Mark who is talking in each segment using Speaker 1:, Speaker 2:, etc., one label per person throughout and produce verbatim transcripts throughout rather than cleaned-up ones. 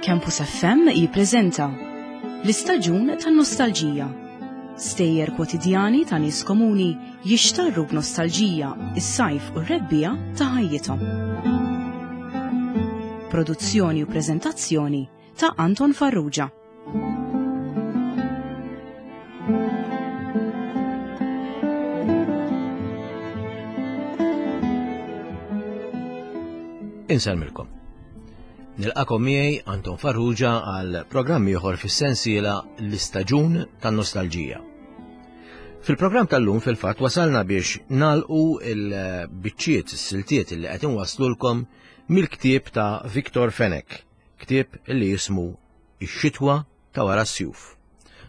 Speaker 1: Campus F M jippreżenta l-istaġun tan-nostalġija. Stejjer kwotidjani ta' nies komuni jixtarru b'nostalġija is-sajf u r-rebbiegħa ta' ħajjithom. Produzzjoni u preżentazzjoni ta' Anton Farrugia.
Speaker 2: Insellmilkom. Nilqagħkom miegħi, Anton Farrugia, għal programm ieħor fis-sensiela l-istaġun tan-nostalġija. Fil-programm tal-lum, fil-fatt, wasalna biex nagħlqu il-biċċiet, is-siltiet li qed inwaslulkom mill-ktieb ta' Victor Fenech, ktieb li jismu Ix-xitwa ta' wara s-sjuf.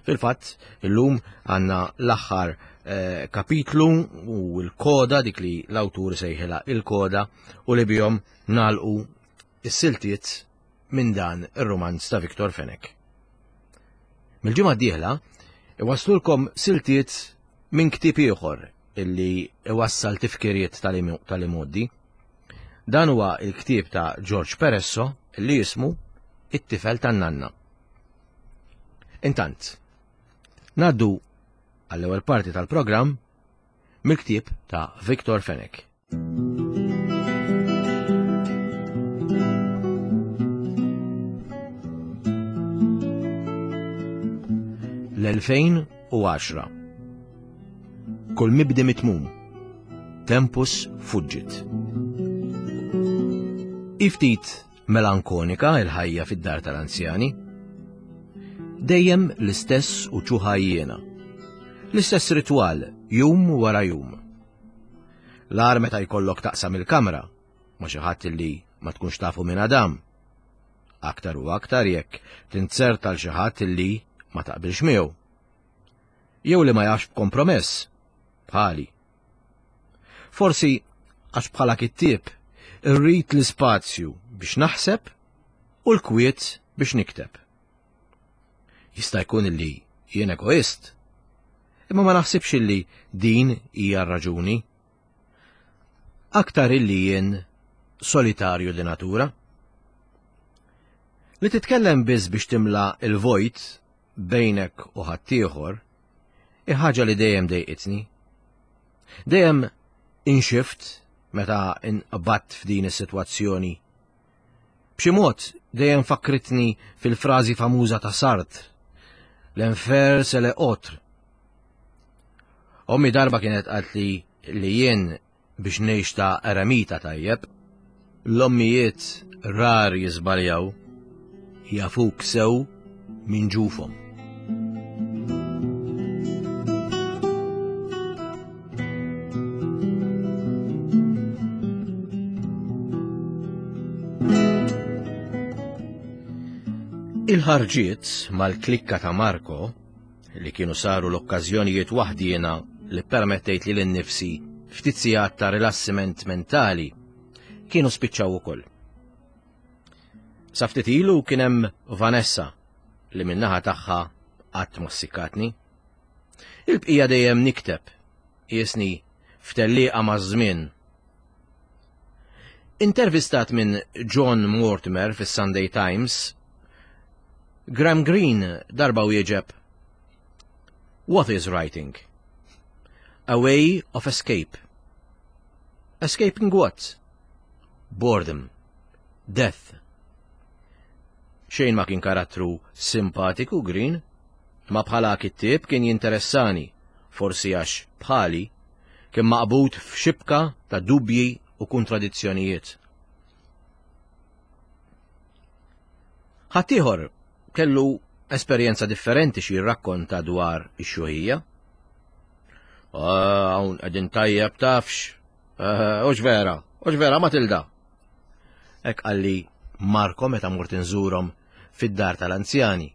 Speaker 2: Fil-fatt, illum għandna l-aħħar eh, kapitlu u l-koda, dik li l-awtur sejħilha il-koda, u li bihom nagħlqu is-siltiet minn dan ir-romanz ta' Victor Fenech. Mill-ġimgħa d-dieħla iwaslulkom siltiet minn ktieb ieħor illi iwassal tifkiriet tal-imgħoddi. Dan huwa il-ktieb ta' George Peresso illi jismu It-tifel tan-nanna. Intant, ngħaddu għall-ewwel parti tal-programm mill-ktieb ta' Victor Fenech. L-elfejn u għaxra. Kull mibdi mitmum. Tempus fuġġit. Iftit melankonika il-ħajja fid-dar tal-anzjani. Dejjem l-istess u ċuħajjena. L-istess ritwal, jum wara jum. L-agħar meta jkollok taqsam il-kamra ma' xi ħadd li ma tkunx tafu minn Adam. Aktar u aktar jekk tinzerta l xi ħadd li ma taqbilx miegħu. Jew li ma jafx b'kompromess, bħali. Forsi għax bħala kittieb irrid l-ispazju biex naħseb u l-kwiet biex nikteb. Jista' jkun li jien egoist, imma ma naħsibx illi din hija r-raġuni. Aktar illi jien solitarju di natura. Li titkellem biss biex timla il-vojt bejnek u ħaddieħor, ħaġa li dejjem dejqitni. Dejjem inxift meta inqbatt f'din is-sitwazzjoni. B'xi mod dejjem fakritni fil-frażi famuża ta' Sartre, "L'enfer, c'est l'autre." Ommi darba kienet qaltli li jien biex ngħix ta' eremita tajjeb. L-ommijiet rar jiżbaljaw, jafuk sew minn ġufhom. Il-ħarġiet mal-klikka ta' Marco, li kienu saru l-okkażjonijiet waħdiena li permettejt lili nnifsi ftit sigħat ta' rilassiment mentali, kienu spiċċaw ukoll. Sa ftit ilu kien hemm Vanessa li min-naħa tagħha qatt ma sikkatni. Il-bqija dejjem nikteb, qisni f'tellieqa maż-żmien. Intervistat minn John Mortimer fis-Sunday Times, Graham Greene darba wieġeb: "What is writing? A way of escape. Escaping what? Boredom. Death." Xejn ma kien karattru simpatiku Greene, ma bħala kittieb kien jinteressani, forsi għax bħali kien maqbud f'xibka ta' dubji u kontradizzjonijiet. Ħaddieħor kellu esperjenza differenti xi jirrakkonta dwar ix-xjuħija. "Ah, hawn qegħdin tajjeb, tafx. Ah, hux vera, hux vera, Matilda?" Hekk qalli Marko meta mort inżurhom fid-dar tal-anzjani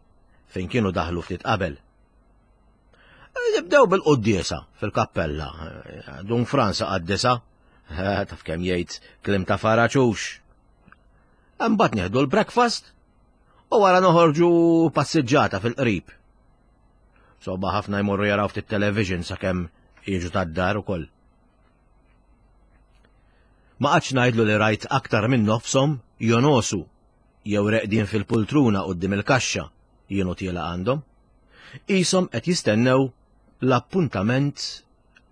Speaker 2: fejn kienu daħlu ftit qabel. "Nibdew bil-quddiesa fil-kappella. Dun Frans qaddisha, taf kemm jgħid kliem ta' faraġ hux. Imbagħad nieħdu l-breakfast u wara noħorġu passiġġata fil-qrib. Soba ħafna jmorru jaraw ftit television sakemm jiġu tad-dar ukoll." Ma qgħadtx ngħidlu li rajt aktar minn nofshom jonqosu. jew reqdin fil-pultruna quddiem il-kaxxa jien u tiela għandhom. Qishom qed jistennew l-appuntament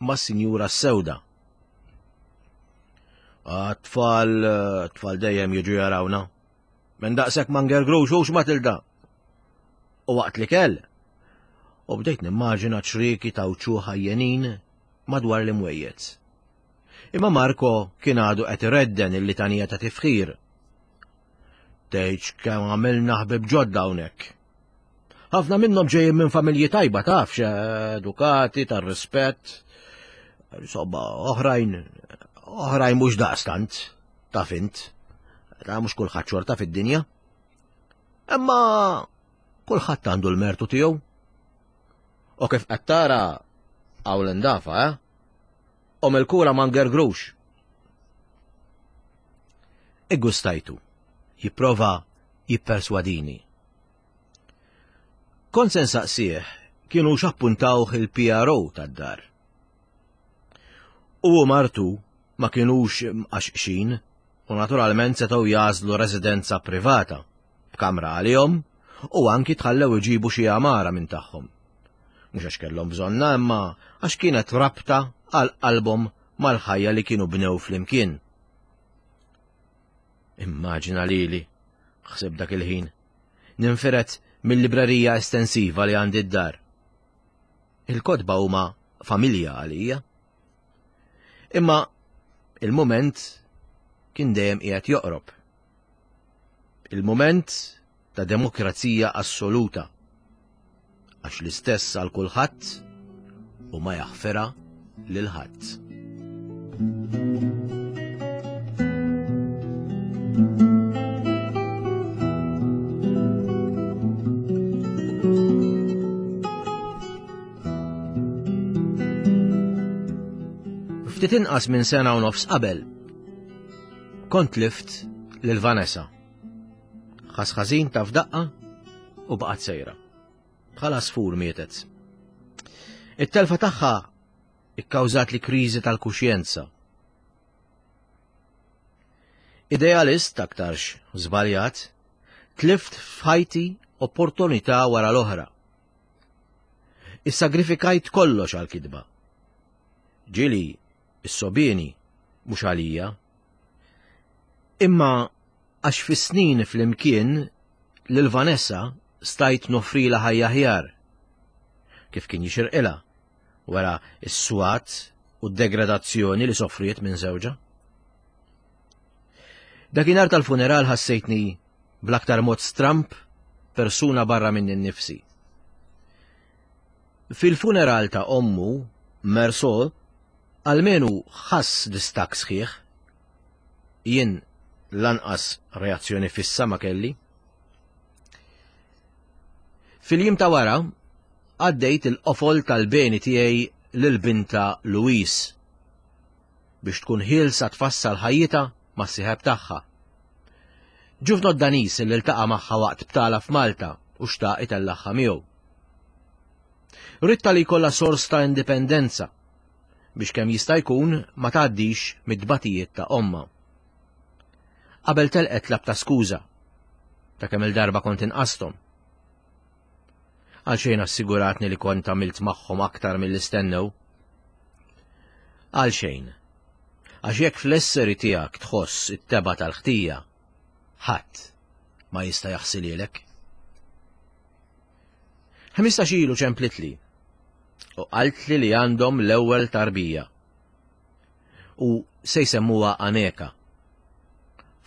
Speaker 2: mas-Sinjura Sewda. Tfal, tfal dejjem jiġu jarawna. Minn daqshekk ma ngergrux hux Matilda. U waqt li kell, u bdejt nimmaġina ċrieki ta' wċuħ ħajjenin madwar l-imwejjed. Imma Marco kien għadu qed iredden il-litanija ta' tifħir. Tgħidx kemm għamilna ħbieb ġodda hawnhekk. Ħafna minnhom ġejjin minn familji tajba tafx, edukati, tar-rispett. Insomma, oħrajn, oħrajn mhux daqstant, taf int. Ta' mhux kulħadd xorta fid-dinja. Imma kulħadd għandu l-mertu tiegħu. U kif qed tara hawn l-indafa, eh? U mill-kura ma ngergrux. Iggustajtu, jipprova jipperswadini. Kont se nsaqsih kienu x'appuntawh il-P R O tad-dar. U martu ma kienux mqaxqxin u naturalment setgħu jażlu residenza privata b'kamra għalihom u anki tħallew iġibu xi għamara minn tagħhom. Mhux għax kellhom bżonna imma għax kienet rabta għal qalbhom mal-ħajja li kienu bnew flimkien. Immaġina lili, ħsib dak il-ħin, ninfiret mill-librerija estensiva li għandi d-dar. Il-kotba huma familja għalija. Imma il-moment kien dejjem qiegħed joqrob. Il-moment ta' demokrazija assoluta. Għax l-istess għal kulħadd u ma jaħfirha lil ħadd. Ftit inqas minn sena u nofs qabel, kont lift lil Vanessa. Ħasħażin ta' f'daqqa u baqgħet sejra. Bħala sfur mietet. It-telfa tagħha ikkawżat li kriżi tal-kuxjenza. Idealist aktarx żbaljat, tlift f'ħajti opportunità wara l-oħra. Issagrifikajt kollox għal-kitba. Ġieli is-sobieni mhux għalija. Imma għax fis-snin flimkien lil Vanessa stajt nofrila ħajja ħjar. Kif kien jixirqilha wara s-swat u d-degradazzjoni li soffriet minn żewġha. Dakinhar tal-funeral ħassejtni bl-aktar mod stramp persuna barra minn innifsi. Fil-funeral ta' ommu, Meursault, almenu ħass distak sħiħ. Jien lanqas reazzjoni fissa ma kelli. Fil-jiem ta' wara, għaddejt il-qofol tal-beni tiegħi lil binta Louise biex tkun ħielsa tfassal ħajjitha mas-sieħeb tagħha. Ġuvnot Danis li ltaqa' magħha waqt btala f'Malta u xtaq itellaħħa miegħu. Ritta li jkollha sors ta' indipendenza biex kemm jista' jkun ma tgħaddix mid-dbatijiet ta' omma. Qabel telqet tlab ta' skuża ta' kemm il-darba kont inqasthom. Għalxejn assiguratni li kont għamilt magħhom aktar milli stennew. Għalxejn. Għax jekk fl-esseri tiegħek tħoss it-tebgħa tal-ħtija, ħadd ma jista' jaħsililek. Ħmistax ilu ċemplitli u qaltli li għandhom l-ewwel tarbija u se jsemmuha Aneka.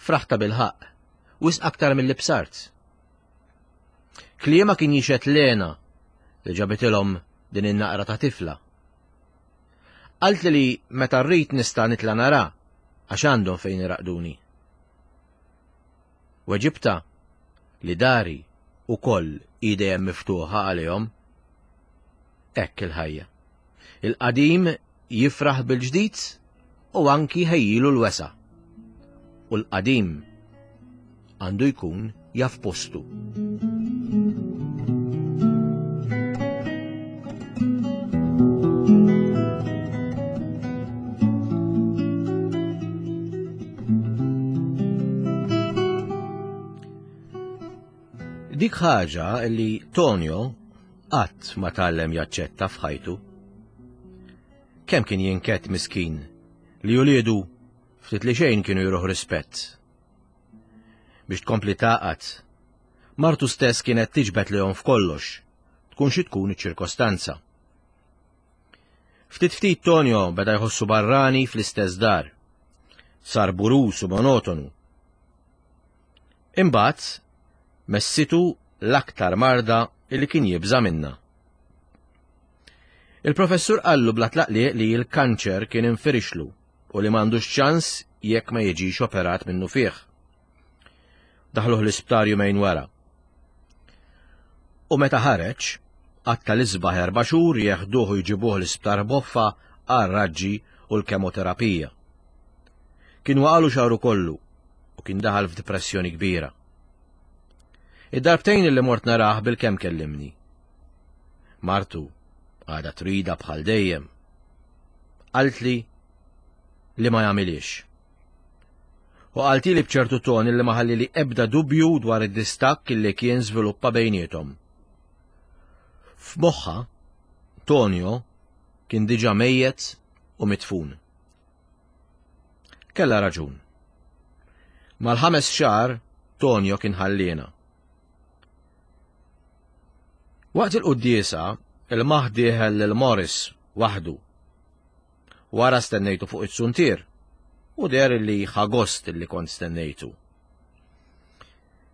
Speaker 2: Fraħta bil-ħaqq, wisq aktar milli bsart. Kliema kien jixet Lena li ġabitilhom din in-naqra ta' tifla. Qaltli li meta rrid nista' nitla' nara għax għandhom fejn iraqduni. Weġibta li dari ukoll hi dejjem miftuħa għalihom. Hekk il-ħajja. Il-qadim jifraħ bil-ġdid u anki ħejjilu l-wesa'. U l-qadim għandu jkun jaf postu. Dik ħaġa li Tonio qatt ma tgħallem jaċċetta f'ħajtu. Kemm kien jinkett miskin li uliedu ftit li xejn kienu juruh rispett. Biex tkompli taqgħad, martu stess kienet tiġbed lejhom f'kollox, tkun xi tkun iċ-ċirkostanza. Ftit ftit Tonio beda jħossu barrani fl-istess dar. Sar burus u monotonu. Imbagħad messitu l-aktar marda li kien jibża' minna. Il-professur qallu bla tlaqliq li l-kanċer kien infirixlu u li m'għandux ċans jekk ma jiġix operat minnu fih. Daħluh l-isptar jumejn wara. U meta ħareġ, qatta l-isbaħ erba' xhur jeħduh u jġibuh l-isptar boffa għar-raġġi u l-kemoterapija. Kien waqalu xagħru kollu u kien daħal f'depressjoni kbira. Id-darbtejn li mort narah bil-kemm kellimni. Martu għadha trida bħal dejjem. Qaltli li ma jagħmilix. U qaltili b'ċertu ton li ma ħallili ebda dubju dwar id-distakk li kien żviluppa bejniethom. F'moħħha, Tonio kien diġà mejjet u mitfun. Kellha raġun. Mal-ħames xahar Tonio kien ħalliena. Waqt il-quddiesa, il-maħ dieħel lil Morris waħdu. Wara stennejtu fuq it-suntier u deher li ħa gost li kont stennejtu.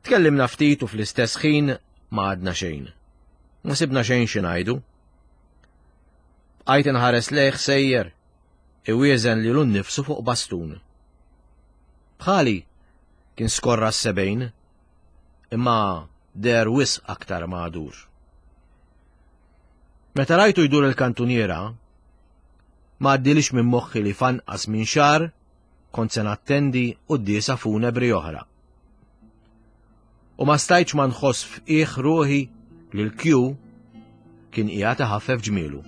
Speaker 2: Tkellimna ftit u fl-istess ħin ma għadna xejn. Ma sibna xejn xi ngħidu. Bqajt inħares lejh sejjer, iwieżen lilu nnifsu fuq bastun. Bħali kien skorra s-sebgħin, imma deher wisq aktar magħdur. Meta rajtu jdur il-kantuniera, ma għaddilix minn moħħi li f'anqas minn xahar kont se nattendi quddiesa funebri oħra. U ma stajtx ma nħoss f'qiegħ ruħi li l-Q kien qiegħed iħaffef ġmielu.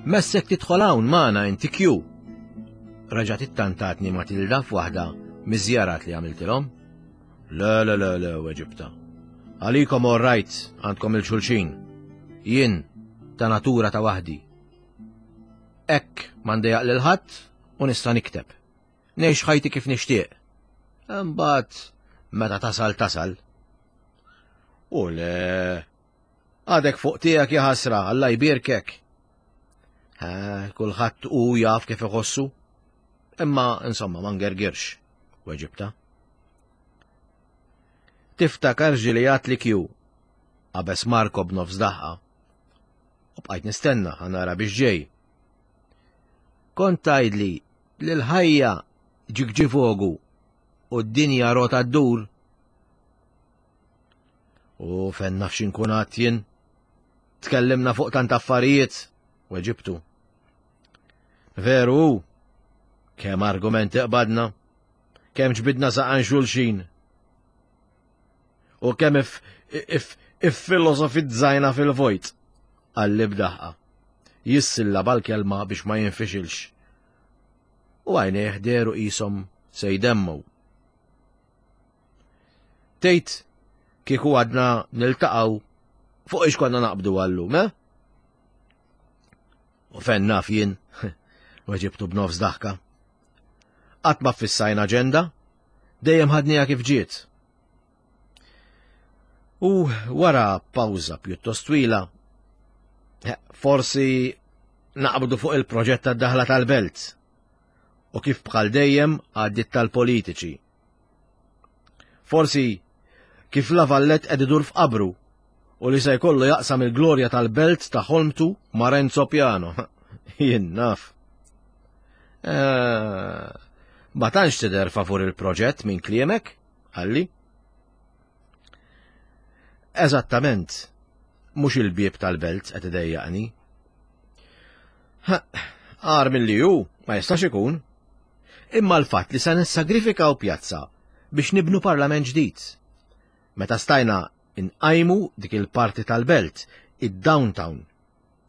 Speaker 2: Messek tidħol hawn magħna inti Q. Reġgħet ittantatni Matilda f'waħda miż-żjarat li għamiltilhom. Le, le, le, le, weġibta. Għalikom all right, għandkom il-xulxin. Jien ta' natura ta' waħdi. Hekk ma ndejjaq lil ħadd u nista' nikteb. Ngħix ħajti kif nixtieq. Imbagħad meta tasal tasal. U le, għadek fuq tiegħek ja ħasra, Alla jbierkek. Ha, kulħadd hu jaf kif iħossu. Imma insomma ma ngergirx, weġibta. Tiftakar ġieli li Q, qabeż Marco b'nofs daħqa. U bqajt nistenna ħa nara biex ġej. Kont tgħidli li l-ħajja ġigġifogu u d-dinja rota ddur. U fejn naf x'inkun għadt jien. Tkellimna fuq tant affarijiet, weġibtu. Veru, kemm argumenti qbadna, kemm ġbidna saqan xulxin. U kemm if, if, iffilosofizzajna fil-vojt, qalli b'daħqa. Jissillaba l-kelma biex ma jinfixilx. U għajnejh dehru qishom se jdemmu. Tgħid kieku għadna niltaqgħu fuq ix konna naqbdu għallum, eh? U fejn naf jien, weġibtu b'nofs daħka. Qatt ma ffissajna aġenda, dejjem ħadniha kif ġiet. U wara pawża pjuttost twila, forsi naqbdu fuq il-proġett tad-daħla tal-belt u kif bħal dejjem għaddit tal-politiċi. Forsi kif La Vallette qed idur f'qabru u li se jkollu jaqsam il-glorja tal-belt ta' ħolmtu ma' Renzo Piano. Jien naf. Eh, ma tantx tidher favur il-proġett minn kliemek, qalli. Eżattament, mhux il-bieb tal-belt qed idejjaqni. Agħar milli hu ma jistax ikun. Imma l-fatt li se nissagrifikaw pjazza biex nibnu parlament ġdid. Meta stajna Inqajmu dik il-parti tal-belt, id-downtown.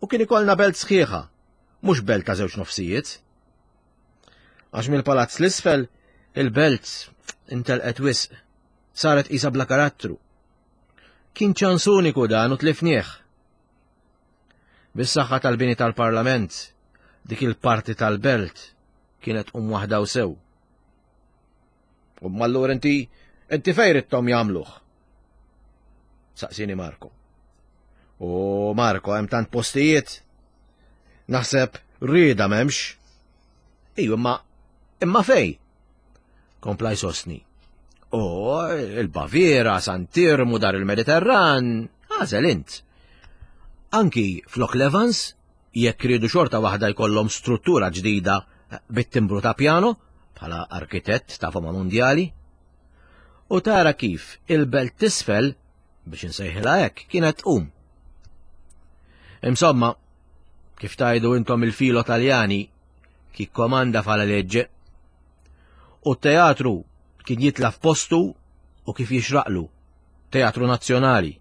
Speaker 2: U kien ikollna belt sħiħa, mhux belt ta' żewġ nofsijiet. Għax mill-palazz l-isfel, il-belt intelqet wisq, saret qisha bla karattru. Kien ċans uniku dan u tlifnieh. Bis-saħħa tal-bini tal-Parlament, dik il-parti tal-belt kienet um waħda u sew. U mallur inti, inti fejn ridthom jagħmluh? Saqsini Marko. U Marko, hemm tant postijiet. Naħseb rieda m'hemmx. Iju, imma imma fej? Kompla jsostni. O, il-Baviera, Santirmu, dar il-Mediterran, għażel int. Anki flok Levans, jekk ridu xorta waħda jkollhom struttura ġdida bit-timbru ta' piano, bħala arkitett ta' fama mondjali. U tara kif il-belt tisfel, biex insejħilha hekk, kienet tqum. Insomma, kif tajdu intom il-filo Taljani, chi comanda fa la legge. U teatru kien jitla f'postu u kif jixraqlu, teatru nazzjonali.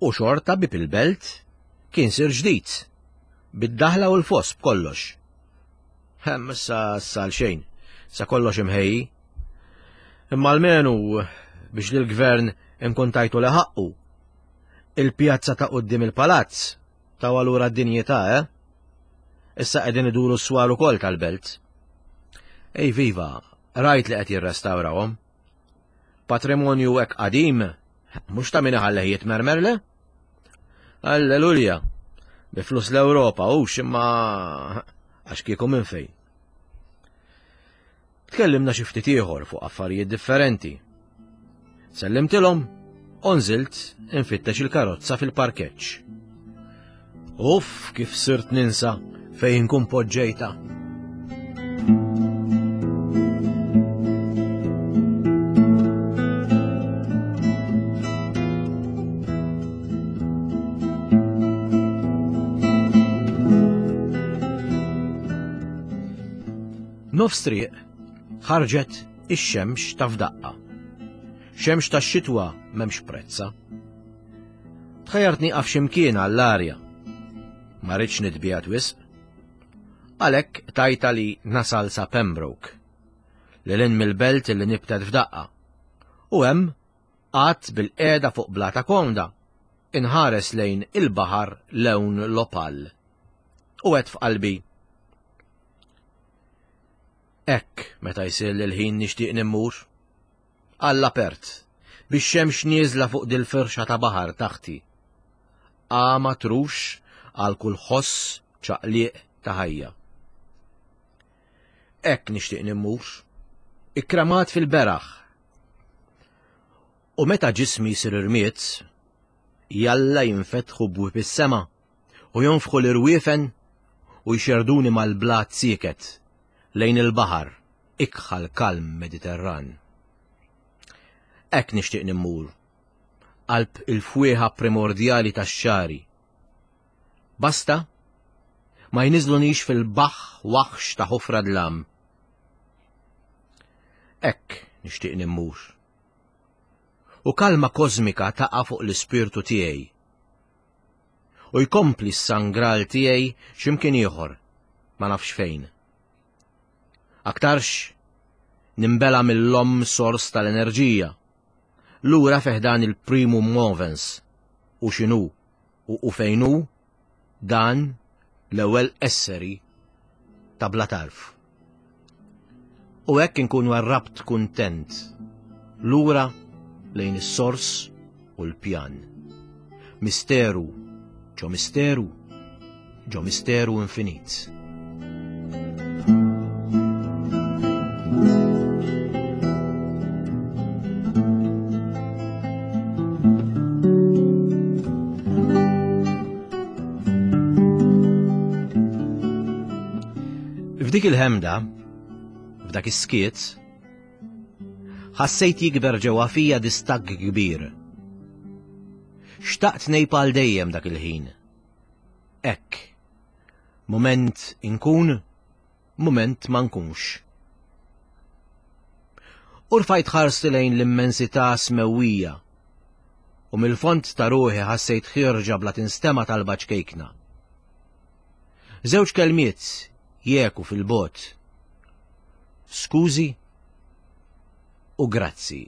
Speaker 2: U xorta bib il-belt kien sir ġdid, bid-daħla u l-fos b'kollox. Hemm issa sal xejn, sa kollox imħejji. Imma almenu biex lill-gvern inkun tajtu li ħaqqu. Il-pjazza ta' quddiem il-palazz ta' allura d-dinjità, eh? Issa qegħdin iduru s-swar ukoll tal-belt. Ej viva, rajt li qed jirrestawrawhom. Patrimonju hekk qadim, mhux ta' min iħalleh jitmermerle? Alleluja, bi flus l-Ewropa hux imma għax kieku minn fejn. Tkellimna xi ftit ieħor fuq affarijiet differenti. Sellimtilhom u nżilt infittex il-karozza fil-parkeġġ. Uff, kif sirt ninsa fejn nkun poġġejta. Nofs triq ħarġet ix-xemx ta' f'daqqa. Xemx tax-xitwa m'hemmx prezza. Tħajjart nieqaf x'imkien għall-arja. Ma rridx nitbiegħed wisq. Għalhekk tajta li nasal sa Pembroke, lil hinn mill-belt li nibtet f'daqqa. U hemm qatt bil-qiegħda fuq blata komda, inħares lejn il-baħar lewn l-opal. U għedt f'qalbi, hekk meta jsir l-ħin nixtieq nimmur. Għall-apert, biex xemx nieżla fuq dil-firxa ta' baħar taħti. Għama trux għal kull ħoss ċaqliq ta' ħajja. Hekk nixtieq nimmur, ikkramat fil-beraħ. U meta ġismi jsir irmiet, jalla jinfetħu bwieb is-sema u jonfħu l-irwiefen u jxerduni mal-blat sieket lejn il-baħar, ikħal kalm Mediterran. Hekk nixtieq nimmur, qalb il-fwieħa primordjali tax-xari. Basta ma jniżlunix fil-baħ waħx ta' ħofra dlam. Hekk nixtieq nimmur. U kalma kosmika taqa' fuq l-ispirtu tiegħi. U jkompli s-sangral tiegħi x'imkien ieħor, ma nafx fejn. Aktarx nimbela mill-om sors tal-enerġija. Lura feħdan il-primum movens u x'inhu u, u fejnu dan l-ewwel esseri ta' bla tarf. U hekk inkunu għarrabt kuntent lura lejn is-sors u l-pjan. Misteru, ġo misteru, ġo misteru infinit. F'dik il-ħemda, f'dak is-skiet, ħassejt jikber ġewwa fija distakk kbir. Xtaqt ngħib għal dejjem dak il-ħin. Hekk, mument inkun, mument ma nkunx. U rfajt ħarsti lejn l-immensità smewwija U mill-fond ta' ruħi ħassejt ħierġa bla tinstema talba ċkejkna. Żewġ kelmiet jeku fil-bot. Skużi u grazzi.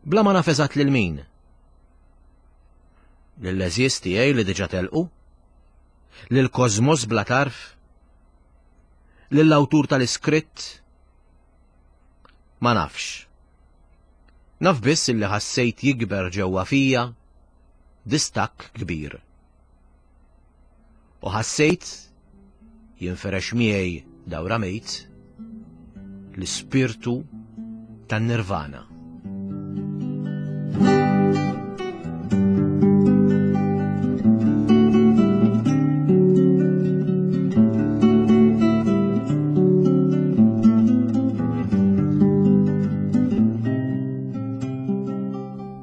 Speaker 2: Bla ma naf eżatt lil min. Lill-għeżież tiegħi li diġà telqu? Lill-kosmos bla tarf? Lill-awtur tal-iskritt? Ma nafx. Naf biss illi ħassejt jikber ġewwa fija distakk kbir. U ħassejt jinferex miegħi dawra mejt l-ispirtu tan-nirvana.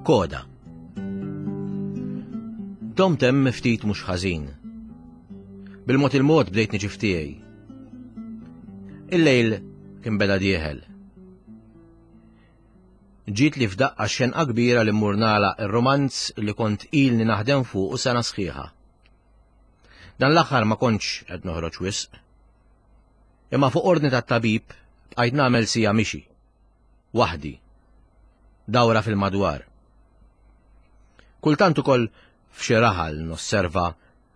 Speaker 2: Koda. Domt hemm ftit mhux ħażin. Bil-mod il-mod bdejt niġi f'tiegħi. Il-lejl kien beda dieħel. Ġiet li f'daqqa xenqa kbira li mmur nagħlaq ir-romanz li kont ilni naħdem fuq u sena sħiħa. Dan l-aħħar ma kontx qed noħroġ wisq. Imma fuq ordni tat-tabib bqajt nagħmel sija mixi. Waħdi. Dawra fil-madwar. Kultant ukoll f'xi raħal nosserva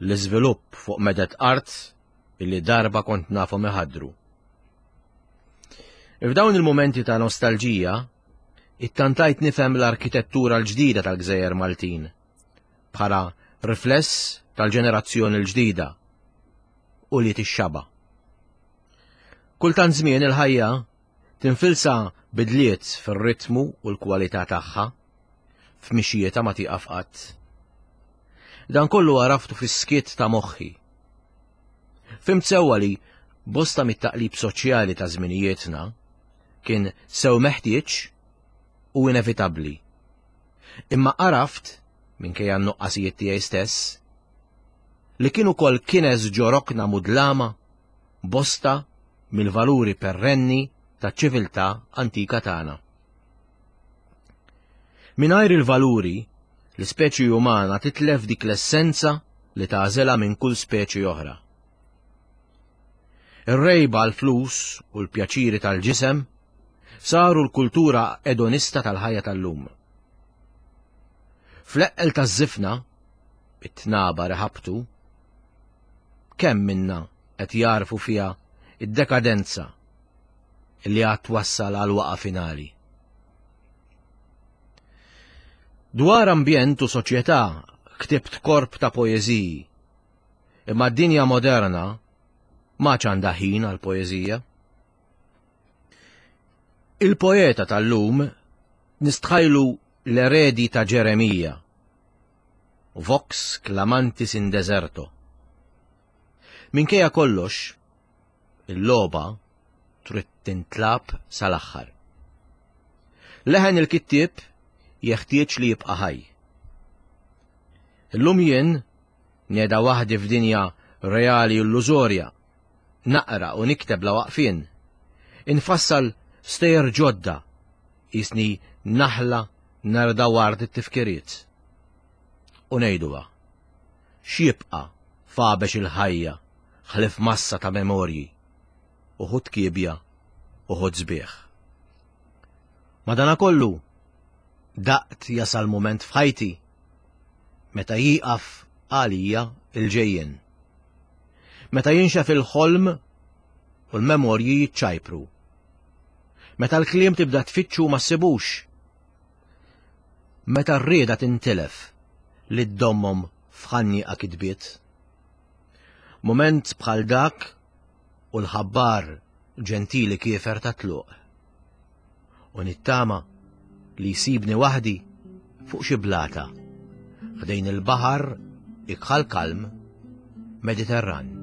Speaker 2: l-iżvilupp fuq medet art illi darba kont nafhom iħaddru. F'dawn il-mumenti ta' nostalġija, ittantajt nifhem l-arkitettura l-ġdida tal-Gżejjer Maltin bħala rifless tal-ġenerazzjoni l-ġdida u li tixxaba. Kultant żmien il-ħajja tinfilsa bidliet fir-ritmu u l-kwalità tagħha f'mixjietha ma tieqaf qatt. Dan kollu għaraftu fis-skiet ta' moħħi. Fhimt sewwa li bosta mit-taqlib soċjali ta' żminijietna kien sew meħtieġ u inevitabbli. Imma għaraft, minkejja n-nuqqasijiet tiegħi stess, li kien ukoll kines ġo rokna mudlama bosta mill-valuri perrenni taċ-ċiviltà antika tagħna. Mingħajr il-valuri, l-ispeċi umana titlef dik l-essenza li tagħżilha minn kull speċi oħra. Ir-rejba għall-flus u l-pjaċiri tal-ġisem saru l-kultura edonista tal-ħajja tal-lum. Fl-eqqel taż-żifna, it-tnaba reħabtu, kemm minna qed jarfu fiha id-dekadenza li għad twassal għal waqa finali. Dwar ambjent u soċjetà ktibt korp ta' poeżiji, imma d-dinja moderna ma għandha ħin għal poeżija. Il-poeta tal-lum nistħajlu l-eredi ta' Ġeremija, Vox clamantis in deserto. Minkejja kollox, il-logħba trid tintlab sal-aħħar. Leħen il-kittieb jeħtieġ li jibqa' ħaj. Illum jien neda waħdi f'dinja reali illużorja, naqra u nikteb la waqfien, infassal stejjer ġodda, jisni naħla narda ward it-tifkiriet. U ngħiduha, x'jibqa' fabex il-ħajja ħlif massa ta' memorji, uħud kiebja, uħud sbieħ. Madanakollu, daqt jasal mument f'ħajti meta jieqaf għalija il-ġejjien. Meta jinxef il-ħolm u l-memorji jiċċajpru. Meta l-kliem tibda tfittxu ma ssibux. Meta r-rieda tintilef li ddommhom f'ħannieqa kitbiet. Mument bħal dak u l-ħabbar ġentili kiefer ta' tluq. U nittama li jsibni waħdi fuq xi blata ħdejn il-baħar ikħal kalm Mediterran.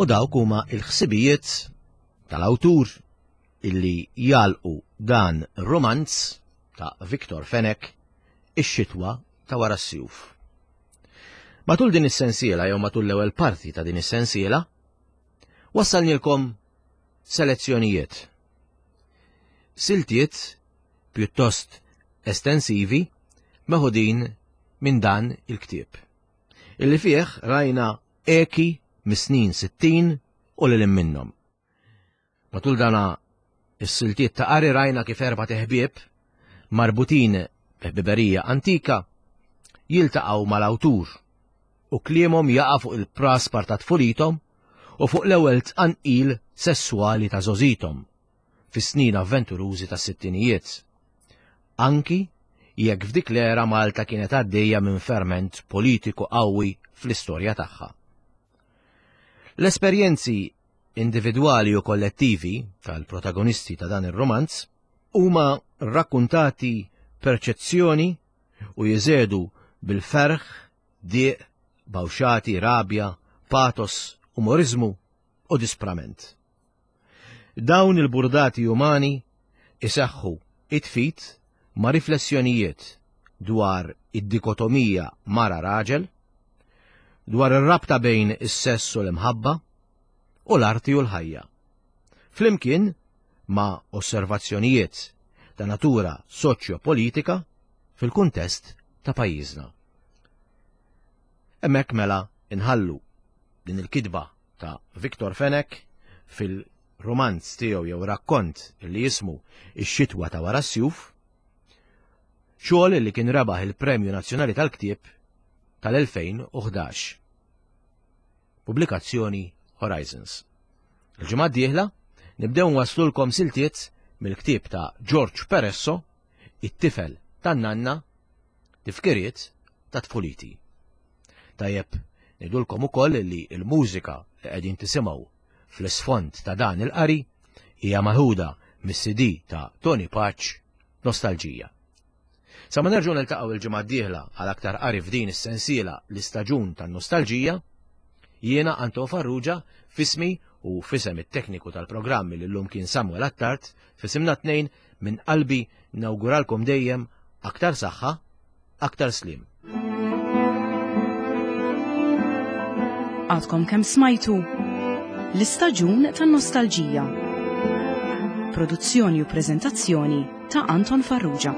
Speaker 2: U dawk huma il-ħsibijiet tal-awtur illi jalqu dan romanz ta' Victor Fenech Ix-xitwa ta' wara s-sjuf. Matul din is-sensiela jew matul l-ewwel parti ta' din is-sensiela, wassalnilkom selezzjonijiet. Siltiet pjuttost estensivi meħudin minn dan il-ktieb. Illi fih rajna eki mis-snin sittin u lil minnhom. Matul dana is-siltiet ta' qari rajna kif erba' teħbieb marbutin b'ħbiberija antika jiltaqgħu mal-awtur u kliemhom jaqa' fuq il-praspar ta' tfulithom u fuq l-ewwel tqanqil sesswali ta' żgħożithom fis-snin avventurużi tas-sittinijiet. Anki jekk f'dik l-era Malta kienet għaddejja minn ferment politiku qawwi fl-istorja tagħha. L-esperjenzi individwali u kollettivi tal-protagonisti ta' dan ir-romanz huma rrakkuntati perċezzjoni u jeżedu bil-ferħ, diq, bawxati, rabja, patos, umorizmu u disprament. Dawn il-burdati umani iseħħu it-fit ma' riflessjonijiet dwar id-dikotomija mara-raġel, dwar ir-rabta bejn is-sess u l-imħabba u l-arti u l-ħajja. Flimkien ma' osservazzjonijiet ta' natura soċjo-politika fil-kuntest ta' pajjiżna. Hemmhekk mela inħallu din il-kitba ta' Victor Fenech fil-romanz tiegħu jew rakkont li jismu Ix-xitwa ta' wara s-sjuf, xogħol li kien rebaħ il-Premju Nazzjonali tal-Ktieb tal-elfejn u ħdax. Pubblikazzjoni Horizons. Il-ġimgħa d-dieħla nibdew nwaslulkom siltiet mill-ktieb ta' George Peresso, It-tifel tan-nanna, tifkiriet ta' tfuliti. Tajjeb, ngħidulkom ukoll li l-mużika li qegħdin tisimgħu fl-isfond ta' dan il-qari hija maħuda mis-C D ta' Tony Pace, Nostalġija. Sa ma nerġgħu niltaqgħu il-ġimgħa d-dieħla għal aktar qari f'din is-sensiela l-istaġun tan-nostalġija, jiena Anton Farrugia fismi u fisem it-tekniku tal-programmi li llum kien Samuel Attard, fisimna tnejn minn qalbi nawguralkom dejjem aktar saħħa, aktar slim.
Speaker 1: Għadkom kemm smajtu l-istaġun tan-nostalġija. Produzzjoni u preżentazzjoni ta' Anton Farrugia.